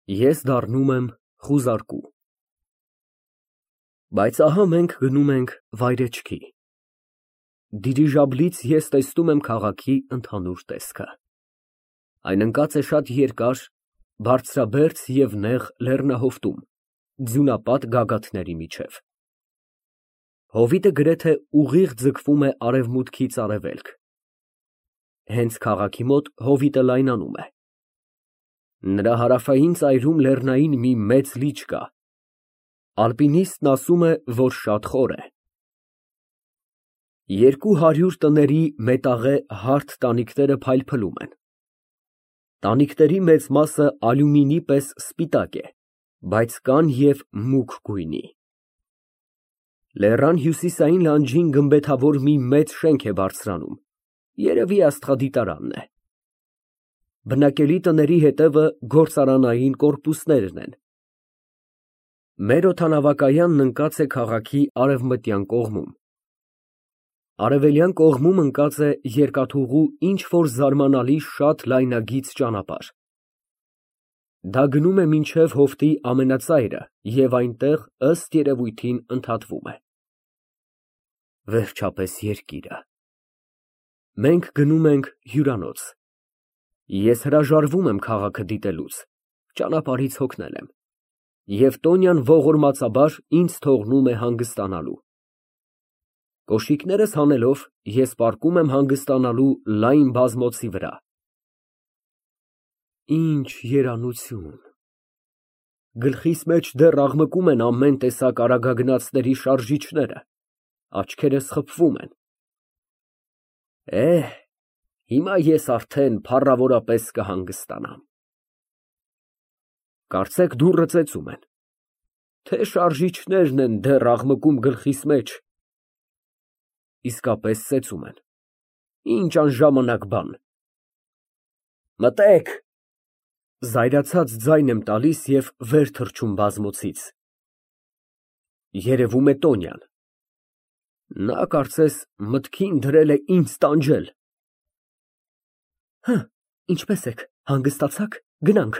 Ես դառնում եմ խուզարկու։ Բայց ահա մենք գնում ենք վայրեջքի։ Դիրիժաբլից ես տեսնում եմ քաղաքի ընդհանուր տեսքը։ Այն ընկած է շատ երկար, բարձրաբերձ և նեղ լեռնահովտում, ձյունապատ գագաթների միջև։ Հովիտը գրեթե ուղիղ ձգվում է արևմուտքից արևելք։ Հենց քաղաքի մոտ հովիտը լայնանում է։ Նրա հարավային ծայրում լեռնային մի մեծ լիճ կա։ Ալպինիստն ասում է, որ շատ խոր է։ 200 տների մետաղե հարթ տանիքները փայլփլում են։ Տանիքների մեծ մասը ալյումինի պես սպիտակ է, բայց կան և մուգ գույնի։ Լեռան հյուսիսային լանջին գմբեթավոր մի մեծ շենք է բարձրանում, երևի աստղադիտարանն է։ Բնակելի տների հետևը գործարանային կորպուսներն են։ Մեր օդանավակայանն ընկած է քաղաքի արևմտյան կողմում։ Արևելյան կողմում ընկած է երկաթուղու ինչ֊որ զարմանալի շատ լայնագիծ ճանապարհ։ Դա գնում է մինչև հովտի ամենածայրը և այնտեղ, ըստ երևույթին, ընդհատվում է։ Վերջապես երկիրը։ Մենք գնում ենք հյուրանոց։ Ես հրաժարվում եմ քաղաքը դիտելուց, ճանապարհից հոգնել եմ, և Տոնյան ողորմածաբար ինձ թողնում է հանգստանալու։ Կոշիկներս հանելով, ես պառկում եմ հանգստանալու լայն բազմոցի վրա։ Ինչ երանություն։ Գլխիս մեջ դեռ աղմկում են ամեն տեսակ արագագնացների շարժիչները, աչքերս խփվում են։ Հիմա ես արդեն փառավորապես կհանգստանամ։ Կարծեք դուռը ծեծում են, թե շարժիչներն են դեռ աղմկում գլխիս մեջ։ Իսկապես ծեծում են, ինչ անժամանակ բան։ Մտեք։ Զայրացած ձայն եմ տալիս և վեր թռչում բազմոցից։ Երևում է Տոնյան։ Նա կարծես մտքին դրել է ինձ տանջել։ Ինչպե՞ս եք, հանգստացա՞ք, գնանք,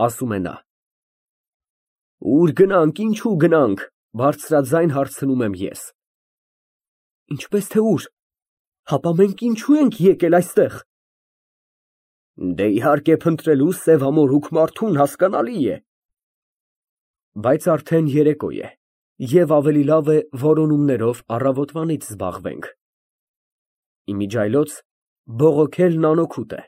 ասում է նա։ Ուր գնանք, ինչու գնանք, բարձրաձայն հարցնում եմ ես։ Ինչպես թե ուր, հապա մենք ինչու ենք եկել այստեղ։ Դե իհարկե փնտրելու սևամորուք մարդուն, հասկանալի է։ Բայց արդեն երեկո է, և ավելի լավ է որոնումներով առավոտվանից զբաղվենք։ Իմիջիայլոց բողոքելն անօգուտ է։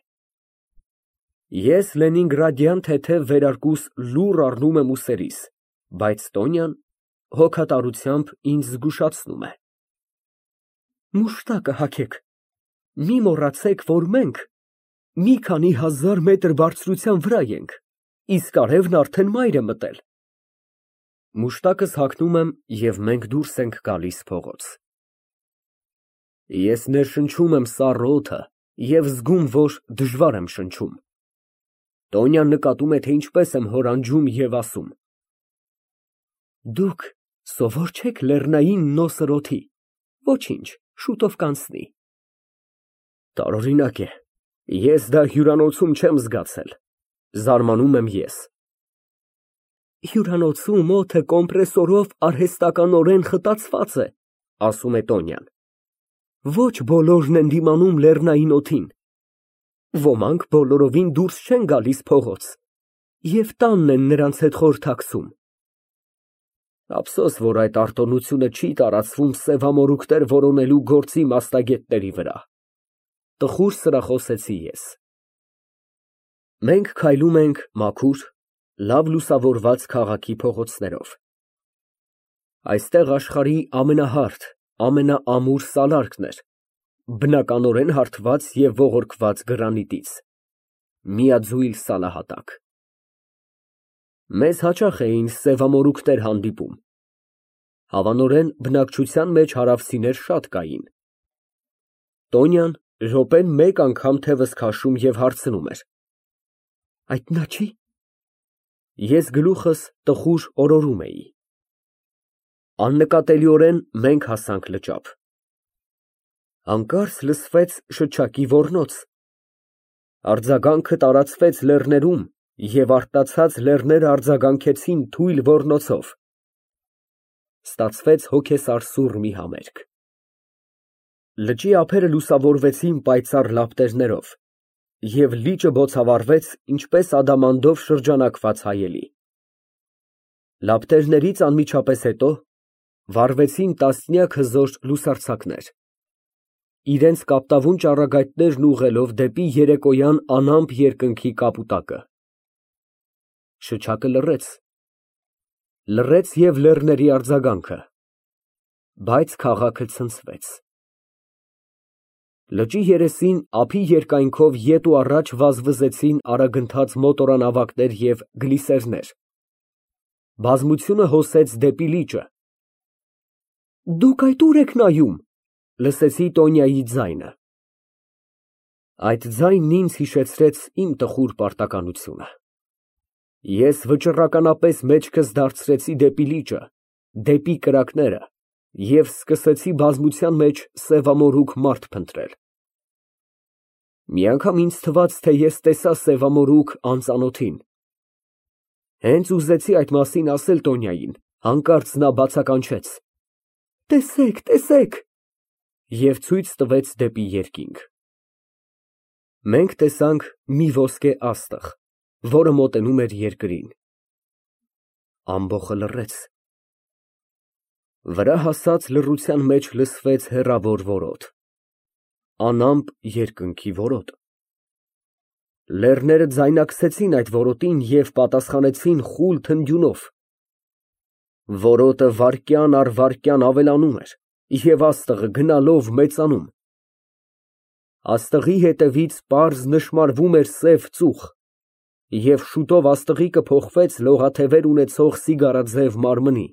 Ես լենինգրադյան թեթև վերարկուս լուռ առնում եմ ուսերիս, բայց Տոնյան հոգատարությամբ ինձ զգուշացնում է։ Մուշտակը հագեք, մի մոռացեք, որ մենք մի քանի հազար մետր բարձրության վրա ենք, իսկ արևն արդեն մայր է մտել։ Մուշտակս հագնում եմ, և մենք դուրս ենք գալիս փողոց։ Ես ներշնչում եմ սառը օդը և զգում, որ դժվար եմ շնչում։ Տոնյան նկատում է, թե ինչպես եմ հորանջում և ասում. Դուք սովոր չեք լեռնային նոսր օդի, ոչինչ, շուտով կանցնի։ Տարօրինակ է, ես դա հյուրանոցում չեմ զգացել, զարմանում եմ ես։ Հյուրանոցում օդը կոմպրեսորով արհեստականորեն խտացված է, ասում է Տոնյան։ Ոչ բոլորն են դիմանում լեռնային օդին։ Ոմանք բոլորովին դուրս չեն գալիս փողոց, և տանն են նրանց հետ խորհրդակցում։ Ափսոս, որ այդ արտոնությունը չի տարածվում սևամորուքներ որոնելու գործի մասնագետների վրա, տխուր սրախոսեցի ես։ Մենք քայլում ենք մաքուր, լավ լուսավորված քաղաքի փողոցներով։ Այստեղ աշխարհի ամենահարթ, ամենաամուր սալարկն էր, բնականորեն հարթված և ողորկված գրանիտից, միաձույլ սալահատակ։ Մեզ հաճախ էին սևամորուքներ հանդիպում։ Հավանորեն բնակչության մեջ հարավցիներ շատ կային։ Տոնյան րոպեն մեկ անգամ թևս քաշում և հարցնում էր. Այդ նա չի։ Ես գլուխս տխուր օրորում էի։ Աննկատելիորեն մենք հասանք լճափ։ Հանկարծ լսվեց շչակի ոռնոց։ Արձագանքը տարածվեց լեռներում Եվ արտացած լեռները արձագանքեցին թույլ ոռնոցով։ Ստացվեց հոգեսարսուռ մի համերգ։ Լճի ափերը լուսավորվեցին պայծառ լապտերներով, և լիճը բոցավառվեց, ինչպես ադամանդով շրջանակված հայելի։ Լապտերներից անմիջապես հետո վառվեցին տասնյակ հզոր լուսարձակներ, իրենց կապտավուն ճառագայթներն ուղղելով դեպի երեկոյան անամպ երկնքի կապուտակը։ Շչակը լռեց և լեռների արձագանքը, բայց քաղաքը ցնցվեց։ Լճի երեսին ափի երկայնքով ետ ու առաջ վազվզեցին արագընթաց մոտորանավակներ և գլիսերներ։ Բազմությունը հոսեց դեպի լիճը։ «Դուք այդ ուր եք նայում», լսեցի Տոնյայի ձայնը։ Այդ ձայնն ինձ հիշեցրեց իմ տխուր պարտականությունը։ Ես վճռականապես մեջքս դարձրեցի դեպի լիճը, դեպի կրակները և սկսեցի բազմության մեջ սևամորուք մարդ փնտրել։ Մի անգամ ինձ թվաց, թե ես տեսա սևամորուք անծանոթին։ Հենց ուզեցի այդ մասին ասել Տոնյային, հանկարծ նա բացականչեց. «Տեսեք, տեսեք» և ցույց տվեց դեպի երկինք։ Մենք տեսանք մի ոսկե աստղ, որը մոտենում էր երկրին։ Ամբոխը լռեց։ Վրա հասած լռության մեջ լսվեց հեռավոր որոտ, անամպ երկնքի որոտ։ Լեռները ձայնարկեցին այդ որոտին և պատասխանեցին խուլ թնդյունով։ Որոտը վայրկյան առ վայրկյան ավելանում էր և աստղը գնալով մեծանում։ Աստղի հետևից պարզ նշմարվում էր սև ծուխ, և շուտով աստղի կփոխվեց լողաթևեր ունեցող սիգարաձև մարմնի։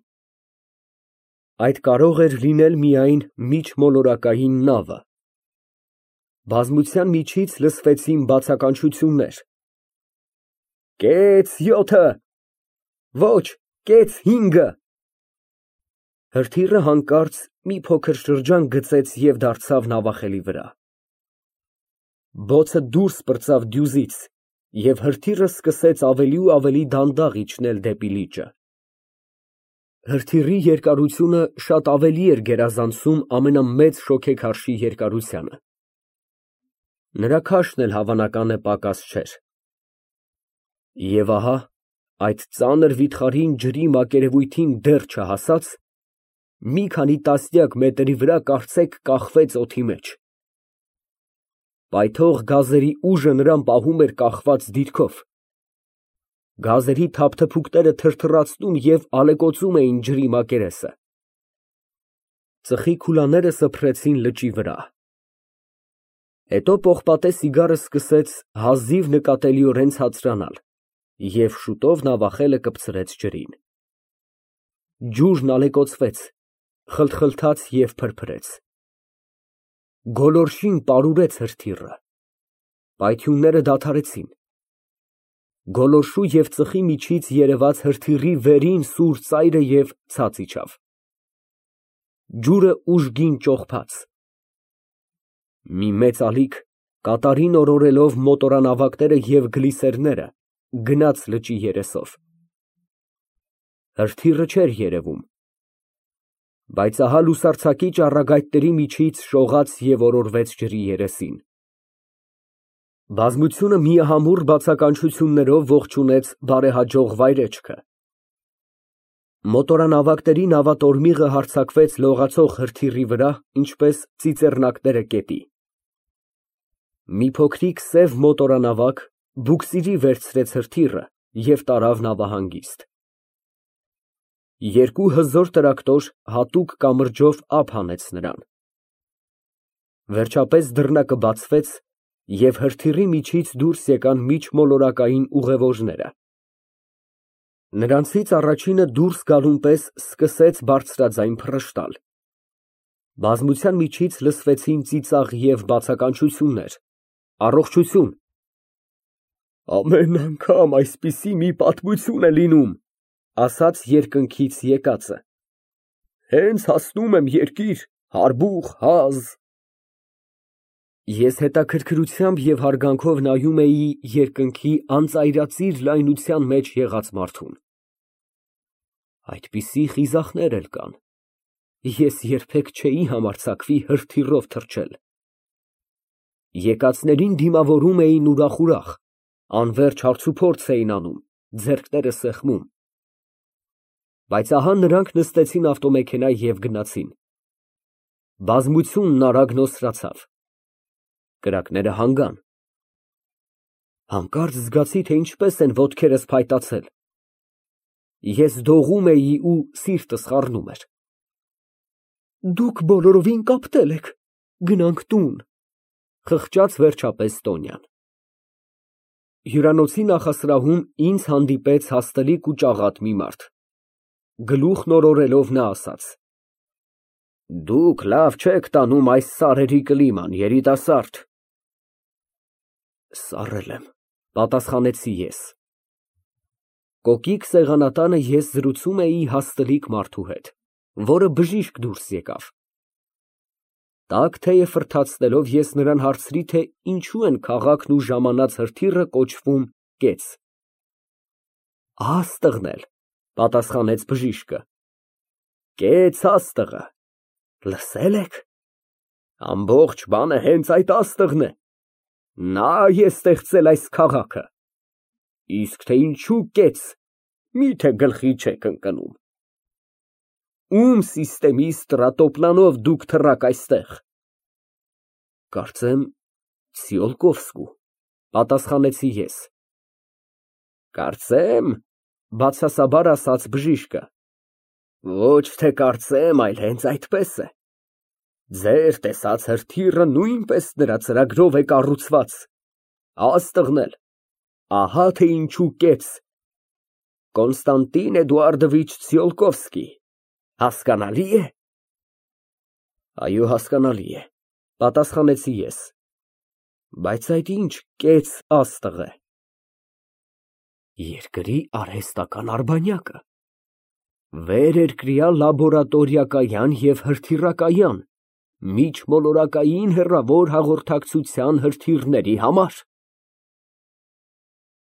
Այդ կարող էր լինել միայն միջմոլորակային նավը։ Բազմության միջից լսվեցին բացականչություններ. «Կեց 7-ը», «Ոչ, կեց 5-ը»։ Հրթիռը հանկարծ մի փոքր շրջան գծեց և դարձավ նավախելի վրա։ Բոցը դուրս պրծավ դյուզից, և հրթիռը սկսեց ավելի ու ավելի դանդաղ իջնել դեպի լիճը։ Հրթիռի երկարությունը շատ ավելի էր գերազանցում ամենամեծ շոգեքարշի երկարությանը։ Նրա քաշն էլ հավանական է պակաս չէր։ Եվ ահա, այդ ծանր վիթխարին ջրի մակերևույթին դեռ չհասած, մի քանի տասնյակ մետրի վրա կարծեք կախվեց օդի մեջ։ Պայթող գազերի ուժը նրան պահում էր կախված դիրքով։ Գազերի թափթփուկները թրթռացնում և ալեկոծում էին ջրի մակերեսը։ Ծխի քուլաները սփռեցին լճի վրա։ Հետո պողպատե սիգարը սկսեց հազիվ նկատելիորեն ցածրանալ, և շուտով նավախելը կպցրեց ջրին։ Ջուրն ալեկոծվեց, խլթխլթաց և փրփրեց։ Գոլորշին պարուրեց հրթիռը։ Պայթյունները դադարեցին։ Գոլորշու և ծխի միջից երևաց հրթիռի վերին սուր ծայրը և ցած իջավ։ Ջուրը ուժգին ճողփաց։ Մի մեծ ալիք, կատարին օրորելով մոտորանավակները և գլիսերները, գնաց լճի երեսով։ Հրթիռը չէր երևում։ Բայց ահա լուսարձակի ճառագայթների միջից շողաց և օրորվեց ջրի երեսին։ Բազմությունը միամուռ բացականչություններով ողջունեց բարեհաջող վայրեջքը։ Մոտորանավակների նավատորմիղը հարձակվեց լողացող հրթիռի վրա, ինչպես ծիծեռնակները կետի։ Մի փոքրիկ սև մոտորանավակ բուքսիրի վերցրեց հրթիռը և տարավ նավահանգիստ։ Երկու հզոր տրակտոր հատուկ կամրջով ափ հանեց նրան։ Վերջապես դռնակը բացվեց, և հրթիռի միջից դուրս եկան միջմոլորակային ուղևորները։ Նրանցից առաջինը դուրս գալուն պես սկսեց բարձրաձայն փռշտալ։ Բազմության միջից լսվեցին ծիծաղ և բացականչություններ. «Առողջություն»։ «Ամեն անգամ այսպիսի մի պատմություն է լինում», ասաց երկնքից եկածը։ «Հենց հասնում եմ երկիր, հարբուխ, հազ»։ Ես հետաքրքրությամբ և հարգանքով նայում էի երկնքի անծայրածիր լայնության մեջ եղած մարդուն։ Այդպիսի խիզախներ էլ կան։ Ես երբեք չէի համարձակվի հրթիռով թռչել։ Եկածներին դիմավորում էին ուրախ, անվերջ հարցուփորձ էին անում, ձեռքները սեղմում։ Բայց ահա նրանք նստեցին ավտոմեքենա և գնացին։ Բազմությունն արագ նոսրացավ։ Կրակները հանգան։ Հանկարծ զգացի, թե ինչպես են ոտքերս փայտացել։ Ես դողում էի ու սիրտս խառնում էր։ Դուք բոլորովին կապտել եք, գնանք տուն, խղճաց վերջապես Տոնյան։ Հյուրանոցի նախասրահում ինձ հանդիպեց հաստլիկ ու ճաղատ մի մարդ։ Գլուխն օրորելով նա ասաց. Դուք լավ չեք տանում այս սարերի կլիման, երիտասարդ։ Սառել եմ, պատասխանեցի ես։ Կոկիկ սեղանատանը ես զրուցում էի հաստլիկ մարդու հետ, որը բժիշկ դուրս եկավ։ Տաք թեյը ֆրթացնելով ես նրան հարցրի, թե ինչու են քաղաքն ու ժամանած հրթիռը կոչվում կեց։ Աստղն էլ, պատասխանեց բժիշկը։ Կեց աստղը, լսել եք։ Ամբողջ բանը հենց այդ աստղն է։ Նա է ստեղծել այս քաղաքը։ Իսկ թե ինչու կեց, միթե գլխի չեք ընկնում։ Ում սիստեմի ստրատոպլանով դուք թռաք այստեղ։ Կարծեմ Ցիոլկովսկու, պատասխանեցի ես։ Կարծեմ, բացասաբար ասաց բժիշկը։ Ոչ թե կարծեմ, այլ հենց այդպես է։ Ձեր տեսած հրթիռը նույնպես նրա ծրագրով է կառուցված։ Աստղն էլ, ահա թե ինչու կեց։ Կոնստանտին Էդուարդովիչ Ցիոլկովսկի, հասկանալի է։ Այո, հասկանալի է, պատասխանեցի ես։ Բայց այդ ինչ կեց աստղ է։ Երկրի արհեստական արբանյակը։ Վերերկրյա լաբորատորիակայան և հրթիռակայան, միջմոլորակային հեռավոր հաղորդակցության հրթիռների համար։